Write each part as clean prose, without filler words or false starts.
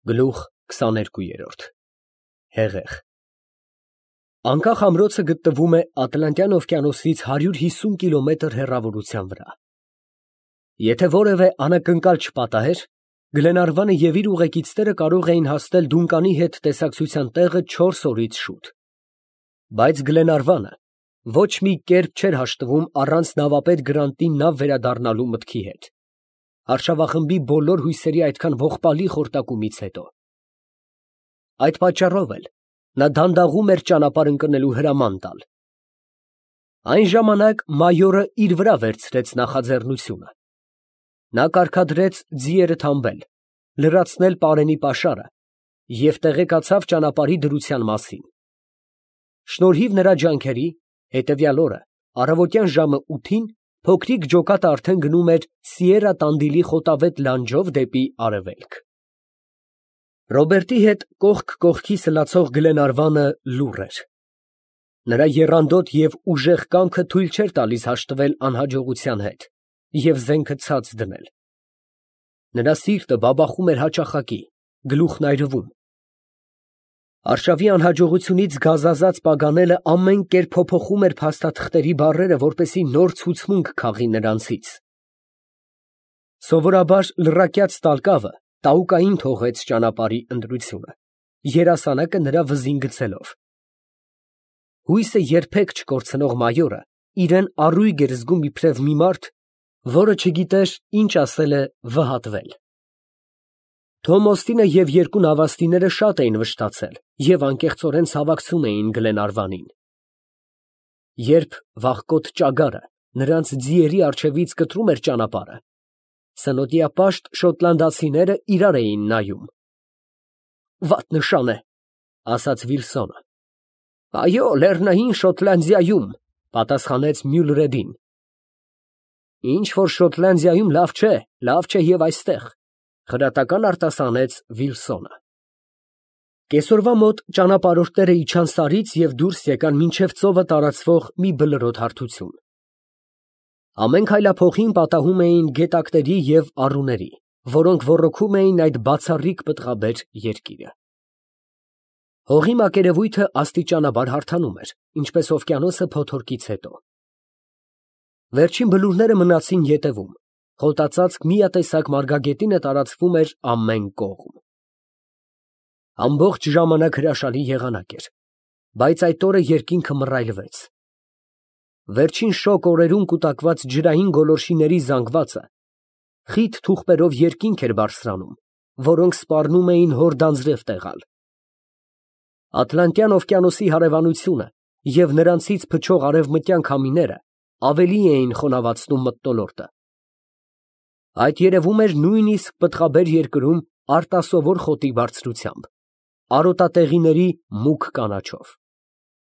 Գլուխ 22 Հեղեղ Անկախ ամրոցը գտնվում է Ատլանտյան օվկիանոսից 150 կիլոմետր հեռավորության վրա։ Եթե որևէ անակնկալ չպատահեր, Գլենարվանը և իր ուղեկիցները կարող էին հասնել Դունկանի հետ տեսակցության տեղը 4 օրից շուտ։ Բայց Գլենարվանը ոչ մի կերպ չէր հաշտվում առանց նավապետ Գրանտի նավ վերադառնալու մտքի հետ, արշավախմբի բոլոր հույսերի այդքան ողբալի խորտակումից հետո։ Այդ պատճառով էլ նա դանդաղում էր ճանապարհ ընկնելու հրաման տալ։ Այն ժամանակ մայորը իր վրա վերցրեց նախաձեռնությունը։ Նա կարգադրեց ձիերը թամբել, լրացնել պարենի պաշարը և տեղեկացավ ճանապարհի դրության մասին։ Շնորհիվ նրա ջանքերի, հետևյալ օրը առավոտյան ժամը 8-ին փոքրիկ ջոկատը արդեն գնում էր Սիերա Տանդիլի խոտավետ լանջով դեպի արևելք։ Ռոբերտի հետ կողք կողքի սլացող Գլենարվանը լուռ էր։ Նրա եռանդոտ և ուժեղ կամքը թույլ չէր տալիս հաշտվել անհաջողության հետ և զենքը ցած դնել։ Նրա սիրտը բաբախում էր հաճախակի, գլուխն այրվում։ Արշավի անհաջողությունից գազազած Պագանելը ամեն կերպ փոփոխում էր փաստաթղթերի բառերը, որպեսզի նոր ցուցմունք քաղի նրանցից։ Սովորաբար լռակյաց տալկավը տաուկային թողեց ճանապարհի ընտրությունը, երասանակը նրա վզին գցելով։ Հույսը երբեք չկորցնող մայորը իրան առույգ էր զգում իբրև մի մարդ, որը չգիտեր ինչ ասել է վհատվել։ Թոմ Օստինը և երկու նավաստիները շատ էին վշտացել և անկեղծորեն ցավակցում էին Գլենարվանին։ Երբ վախկոտ ճագարը նրանց ձիերի առջևից կտրում էր ճանապարհը, սնոտիապաշտ շոտլանդացիները իրար էին նայում։ «Վատ նշան է», ասաց Վիլսոնը։ «Այո, Լեռնային Շոտլանդիայում», պատասխանեց Մյուլրեդին։ «Ինչ որ Շոտլանդիայում լավ չէ և այստեղ», խրատական արտասանեց Վիլսոնը։ Կեսօրվա մոտ ճանապարհորդները իջան սարից և դուրս եկան մինչև ծովը տարածվող մի բլրոտ հարթություն։ Ամեն քայլափոխին պատահում էին գետակների և առուների, որոնք ոռոգում էին այդ բացառիկ պտղաբեր երկիրը։ Հողի մակերևույթը աստիճանաբար հարթանում էր, ինչպես օվկիանոսը փոթորկից հետո։ Վերջին բլուրները մնացին ետևում, խոտածածկ միատեսակ մարգագետինը տարածվում էր ամեն կողմ։ Ամբողջ ժամանակ հրաշալի եղանակ էր, բայց այդ օրը երկինքը մռայլվեց։ Վերջին շոգ օրերում կուտակված ջրային գոլորշիների զանգվածը խիտ թուղթերով երկինք էր բարձրանում, որոնք սպառնում էին հոր դանձրև տեղալ։ Ատլանտյան օվկիանոսի հարևանությունը և նրանցից փչող արևմտյան քամիները ավելի էին խոնավացնում մթնոլորտը։ Այդ երևում էր նույնիսկ պտղաբեր երկրում արտասովոր խոտի բարձրությամբ, արոտատեղիների մուգ կանաչով։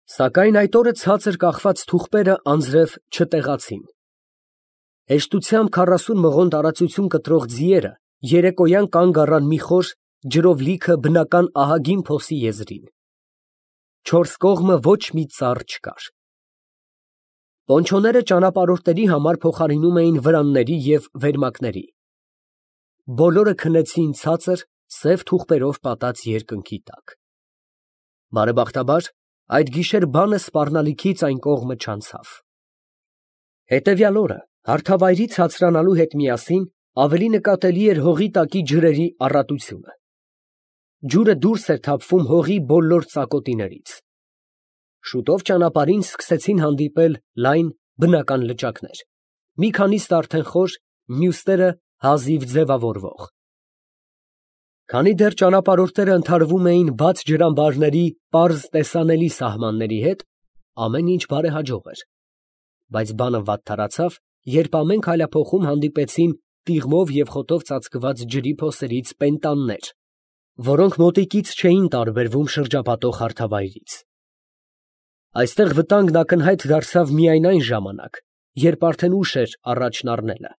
Սակայն այդ օրը ցածր կախված թուղթերը անձրև չտեղացին։ Հեշտությամբ 40 մղոն տարածություն կտրող ձիերը երեկոյան կանգ առան մի խոր, ջրով լիքը բնական ահագին փոսի եզրին։ Չորս կողմը ոչ մի ծառ չկար։ Պոնչոները ճանապարհորդների համար փոխարինում էին վրանների և վերմակների։ Բոլորը քնեցին ցածր, սև թուղթերով պատած երկնքի տակ։ Բարեբախտաբար, այդ գիշեր բանը սպառնալիքից այն կողմը չանցավ։ Հետևյալ օրը հարթավայրից ցածրանալու հետ միասին ավելի նկատելի էր հողի տակի ջրերի առատությունը։ Ջուրը դուրս էր թափվում հողի բոլոր ծակոտիներից։ Շուտով ճանապարհին սկսեցին հանդիպել լայն, բնական լճակներ, մի քանիսն արդեն խոր, մյուսները հազիվ ձևավորվող։ Քանի դեռ ճանապարհորդները ընդհարվում էին բաց ջրամբարների պարզ տեսանելի սահմանների հետ, ամեն ինչ բարեհաջող էր։ Բայց բանը վատթարացավ, երբ ամեն քայլափոխում հանդիպեցին տիղմով և խոտով ծածկված ջրի փոսերից պենտաններ, որոնք մոտիկից չէին տարբերվում շրջապատող հարթավայրից։ Այստեղ վտանգն ակնհայտ դարձավ միայն այն ժամանակ, երբ արդեն ուշ էր առաջն առնելը։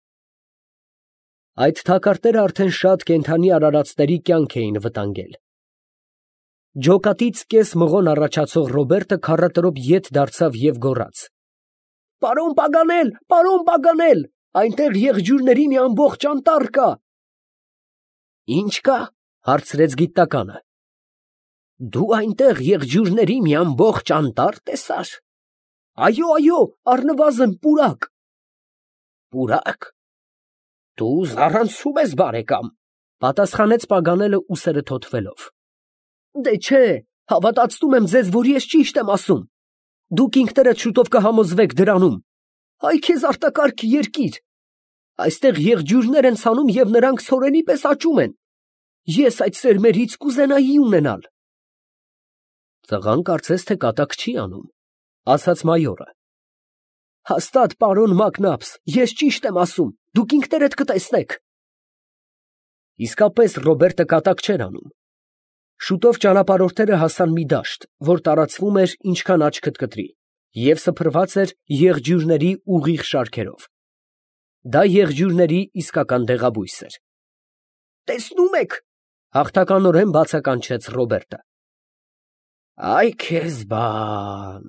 Այդ թակարդները արդեն շատ կենդանի արարածների կյանք էին վտանգել։ Ջոկատից կես մղոն առաջացող Ռոբերտը քառատրոպ ետ դարձավ և գոռաց. «Պարոն Պագանել, պարոն Պագանել, այնտեղ եղջյուրների մի ամբողջ անտառ կա»։ «Ի՞նչ կա, Հարցրեց գիտականը։ Դու այնտեղ եղջյուրների մի ամբողջ անտառ տեսար։ Այո, առնվազն պուրակ։ Պուրակ։ Դու զարանցում ես, բարեկամ, պատասխանեց Պագանելը ուսերը թոթվելով։ Դե չէ, հավատացնում եմ ձեզ, որ ես ճիշտ եմ ասում։ Դուք ինքներդ շուտով կհամոզվեք դրանում։ Այ քեզ արտակարգ երկիր։ Այստեղ եղջյուրներ են ցանում և նրանք սորենի պես աճում են։ Ես այդ սերմերից կուզենայի ունենալ։ Տղան կարծես թե կատակ չի անում, ասաց մայորը։ Հաստատ, պարոն Մակնաբս, ես ճիշտ եմ ասում, դուք ինքներդ կտեսնեք։ Իսկապես Ռոբերտը կատակ չէր անում։ Շուտով ճանապարհորդները հասան մի դաշտ, որ տարածվում էր ինչքան աչքդ կտրի, և սփռված էր եղջյուրների ուղիղ շարքերով։ Դա եղջյուրների իսկական դեղաբույս էր։ Տեսնում եք, հաղթականորեն բացականչեց Ռոբերտը։ Այ քեզ բան,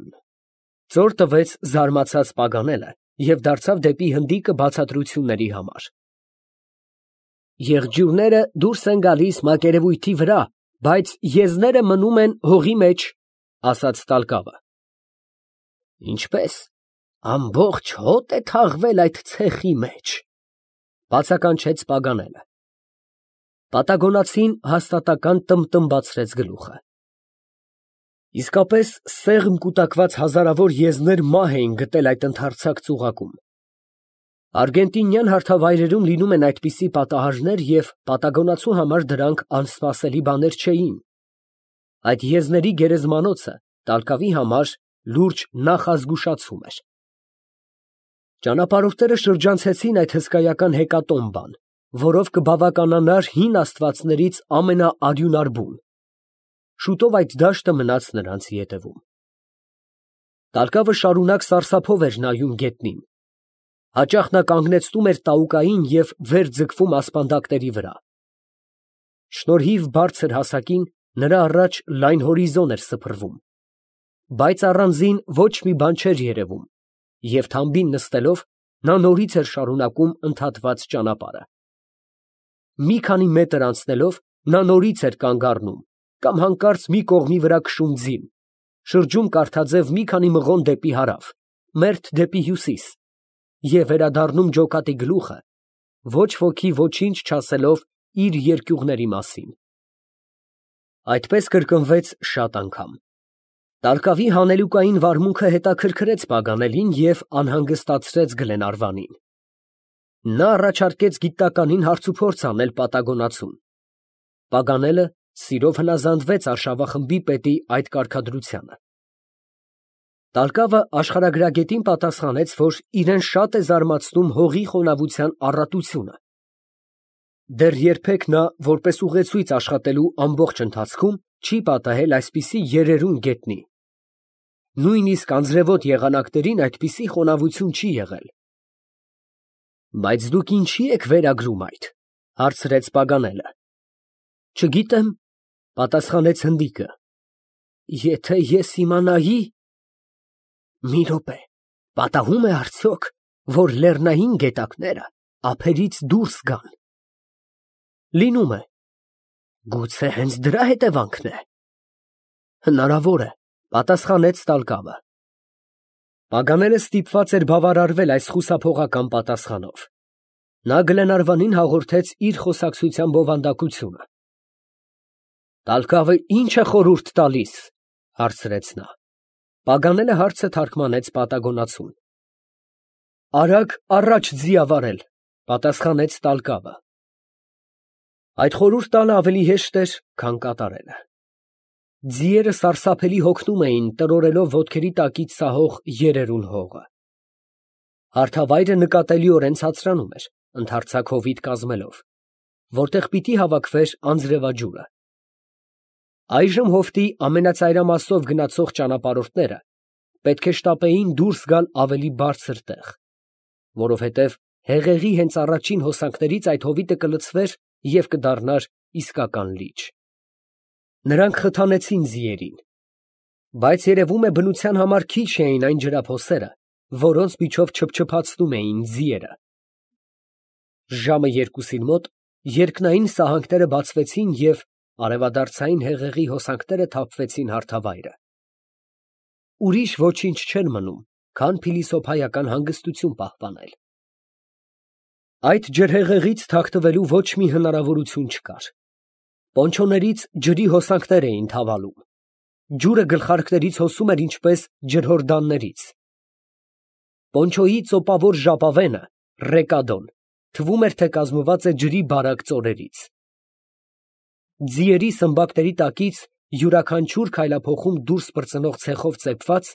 ծոր տվեց զարմացած Պագանելը և դարձավ դեպի հնդիկը բացատրությունների համար։ Եղջյուրները դուրս են գալիս մակերևույթի վրա, բայց եզները մնում են հողի մեջ, ասաց Տալկավը։ Ինչպես, ամբողջ հոտ է թաղվել այդ ցեխի մեջ, բացականչեց Պագանելը։ Պատագոնացին հաստատական տմբացրեց գլուխը։ Իսկապես սեղմ կուտակված հազարավոր եզներ մահ էին գտել այդ ընդարձակ ծուղակում։ Արգենտինյան հարթավայրերում լինում են այդպիսի պատահարներ և պատագոնացու համար դրանք անսպասելի բաներ չէին։ Այդ եզների գերեզմանոցը Տալկավի համար լուրջ նախազգուշացում էր։ Ճանապարհորդները շրջանցեցին այդ հսկայական հեկատոմբան, որով կբավականանար հին աստվածներից ամենաարյունարբուն։ Շուտով այդ դաշտը մնաց նրանց ետևում։ Տալկավը շարունակ սարսափով էր նայում գետնին։ Հաճախ նա կանգնեցնում էր տաուկային և վեր ձգվում ասպանդակների վրա։ Շնորհիվ բարձր հասակին նրա առաջ լայն հորիզոն էր սփռվում, բայց առանձին ոչ մի բան չէր երևում, և թամբին նստելով նա նորից էր շարունակում ընդհատված ճանապարհը։ Մի քանի մետր անցնելով նա նորից էր կանգ առնում կամ հանկարծ մի կողմի վրա քշում ձին, շրջում կարթաձև մի քանի մղոն դեպի հարավ, մերթ դեպի հյուսիս և վերադառնում ջոկատի գլուխը, ոչ ոքի ոչինչ չասելով իր երկյուղների մասին։ Այդպես կրկնվեց շատ անգամ։ Տալկավի հանելուկային վարմունքը հետաքրքրեց Պագանելին և անհանգստացրեց Գլենարվանին։ Նա առաջարկեց գիտականին հարցուփորձ անել պատագոնացուն։ Պագանելը սիրով հնազանդվեց արշավախմբի պետի այդ կարգադրությանը։ Տալկավը աշխարհագրագետին պատասխանեց, որ իրեն շատ է զարմացնում հողի խոնավության առատությունը։ Դեռ երբեք նա, որպես ուղեցույց աշխատելու ամբողջ ընթացքում, չի պատահել այսպիսի երերուն գետնի։ Նույնիսկ անձրևոտ եղանակներին այդպիսի խոնավություն չի եղել։ Բայց դուք ինչի եք վերագրում այդ, հարցրեց Պագանելը։ Չգիտեմ, պատասխանեց հնդիկը։ Եթե ես իմանայի… Մի րոպե, պատահում է արդյոք, որ լեռնային գետակները ափերից դուրս գան։ Լինում է։ Գուցե հենց դրա հետևանքն է։ Հնարավոր է, պատասխանեց Տալկավը։ Պագանելը ստիպված էր բավարարվել այս խուսափողական պատասխանով։ Նա Գլենարվանին հաղորդեց իր խոսակցության բովանդակությունը։ Տալկավը ի՞նչ է խորհուրդ տալիս, հարցրեց նա։ Պագանելը հարցը թարգմանեց պատագոնացուն։ Արագ առաջ ձիավարել, պատասխանեց Տալկավը։ Այդ խորհուրդ տալը ավելի հեշտ էր, քան կատարելը։ Ձիերը սարսափելի հոգնում էին, տրորելով ոտքերի տակից սահող երերուն հողը։ Հարթավայրը նկատելիորեն ցածրանում էր, ընդարձակ հովիտ կազմելով, որտեղ պիտի հավաքվեր անձրևաջուրը։ Այժմ հովտի ամենածայրամասով գնացող ճանապարհորդները պետք է շտապեին դուրս գալ ավելի բարձր տեղ, որովհետև հեղեղի հենց առաջին հոսանքներից այդ հովիտը կլցվեր և կդառնար իսկական լիճ։ Նրանք խթանեցին ձիերին, բայց երևում է բնության համար քիչ էին այն ջրափոսերը, որոնց միջով չփչփացնում էին ձիերը։ Ժամը 2-ին մոտ Երկնային սահանքները բացվեցին և արևադարձային հեղեղի հոսանքները թափվեցին հարթավայրը։ Ուրիշ ոչինչ չէր մնում, քան փիլիսոփայական հանգստություն պահպանել։ Այդ ջրհեղեղից թաքնվելու ոչ մի հնարավորություն չկար։ Պոնչոներից ջրի հոսանքներ էին թավալում։ Ջուրը գլխարկներից հոսում էր ինչպես ջրհորդաններից։ Պոնչոյի ծոպավոր ժապավենը, ռեկադոն, թվում էր, թե կազմված է ջրի բարակ ծորերից։ Ձիերի սմբակների տակից յուրաքանչյուր քայլափոխում դուրս պրծնող ցեխով ծեփված,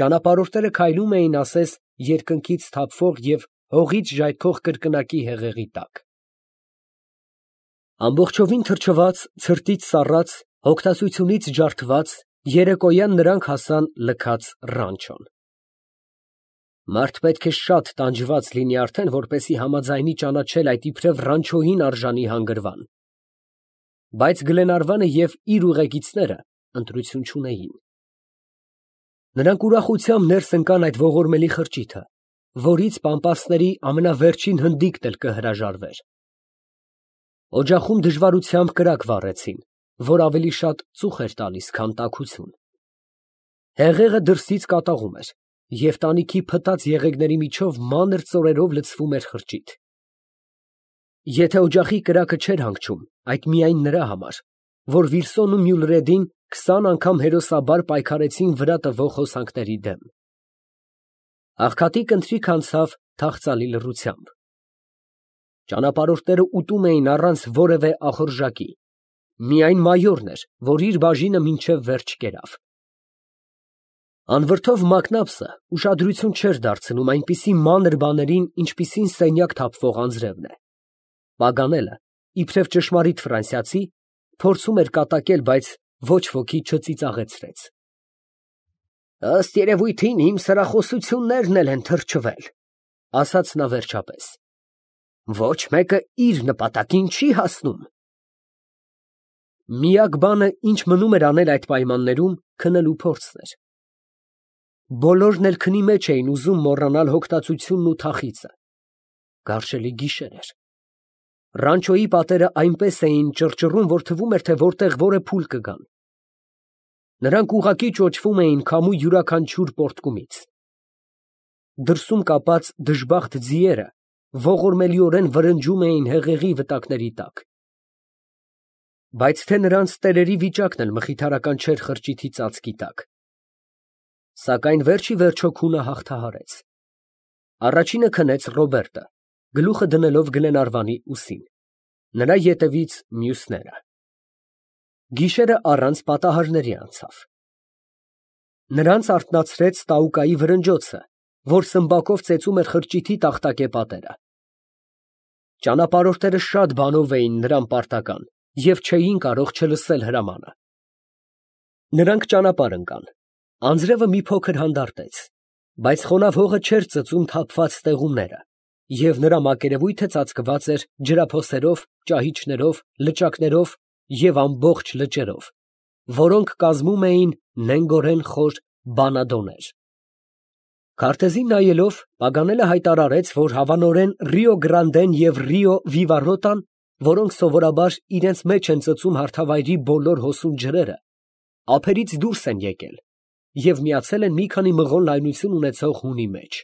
ճանապարհորդները քայլում էին ասես երկնքից թափվող և հողից ժայթքող կրկնակի հեղեղի տակ։ Ամբողջովին թրջված, ցրտից սառած, հոգնածությունից ջարդված, երեկոյան նրանք հասան լքած ռանչոն։ Մարդ պետք է շատ տանջված լինի արդեն, որպեսզի համաձայնի ճանաչել այդ իբրև ռանչոյին արժանի հանգրվան։ Բայց Գլենարվանը և իր ուղեկիցները ընտրություն չունեին։ Նրանք ուրախությամբ ներս ընկան այդ ողորմելի խրճիթը, որից պամպասների ամենավերջին հնդիկն էլ կհրաժարվեր։ Օջախում դժվարությամբ կրակ վառեցին, որ ավելի շատ ծուխ էր տալիս, քան տաքություն։ Հեղեղը դրսից կատաղում էր, և տանիքի փտած եղեգների միջով մանր ծորերով լցվում էր խրճիթ։ Եթե օջախի կրակը չէր հանգչում, այդ միայն նրա համար, որ Վիրսոն ու Մյուլրեդին 20 անգամ հերոսաբար պայքարեցին վրա տվող հոսանքների դեմ։ Աղքատիկ ընթրիք անցավ թախծալի լռությամբ։ Ճանապարհորդները ուտում էին առանց որևէ ախորժակի, միայն մայորն էր, որ իր բաժինը մինչև վերջ կերավ։ Անվրդով Մակնաբսը ուշադրություն չէր դարձնում այնպիսի մանր բաներին, ինչպիսին սենյակ թափվող անձրևն է։ Պագանելը, իբրև ճշմարիտ ֆրանսիացի, փորձում էր կատակել, բայց ոչ ոքի չծիծաղեցրեց։ Ըստ երևույթին իմ սրախոսություններն էլ են թրջվել, ասաց նա վերջապես։ Ոչ մեկը իր նպատակին չի հասնում։ Միակ բանը, ինչ մնում էր անել այդ պայմաններում, քնելու փորձն էր։ Բոլորն էլ քնի մեջ էին ուզում մոռանալ հոգնածությունն ու թախիծը։ Գարշելի գիշեր էր։ Ռանչոյի պատերը այնպես էին ճռճռում, որ թվում էր, թե որտեղ որ է փուլ կգան։ Նրանք ուղղակի ճոճվում էին քամու յուրաքանչյուր պոռթկումից։ Դրսում կապած դժբախտ ձիերը ողորմելիորեն վրնջում էին հեղեղի վտակների տակ։ Բայց թե նրանց տերերի վիճակն էլ մխիթարական չէր խրճիթի ծածկի տակ։ Սակայն վերջ ի վերջո քունը հաղթահարեց։ Առաջինը քնեց Ռոբերտը, գլուխը դնելով Գլենարվանի ուսին, նրա ետևից մյուսները։ Գիշերը առանց պատահարների անցավ։ Նրանց արթնացրեց Տաուկայի վրնջոցը, որ սմբակով ծեծում էր խրճիթի տախտակե պատերը։ Ճանապարհորդները շատ բանով էին նրան պարտական և չէին կարող չլսել հրամանը։ Նրանք ճանապարհ ընկան։ Անձրևը մի փոքր հանդարտեց, բայց խոնավ հողը չէր ծծում թափված ստեղումները, և նրա մակերևույթը ծածկված էր ջրափոսերով, ճահիճներով, լճակներով և ամբողջ լճերով, որոնք կազմում էին նենգորեն խոր բանադոներ։ Քարտեզին նայելով, Պագանելը հայտարարեց, որ հավանորեն Ռիո Գրանդեն և Ռիո Վիվարոտան, որոնք սովորաբար իրենց մեջ են ծծում հարթավայրի բոլոր հոսուն ջրերը, ափերից դուրս են եկել և միացել են մի քանի մղոն լայնություն ունեցող հունի մեջ։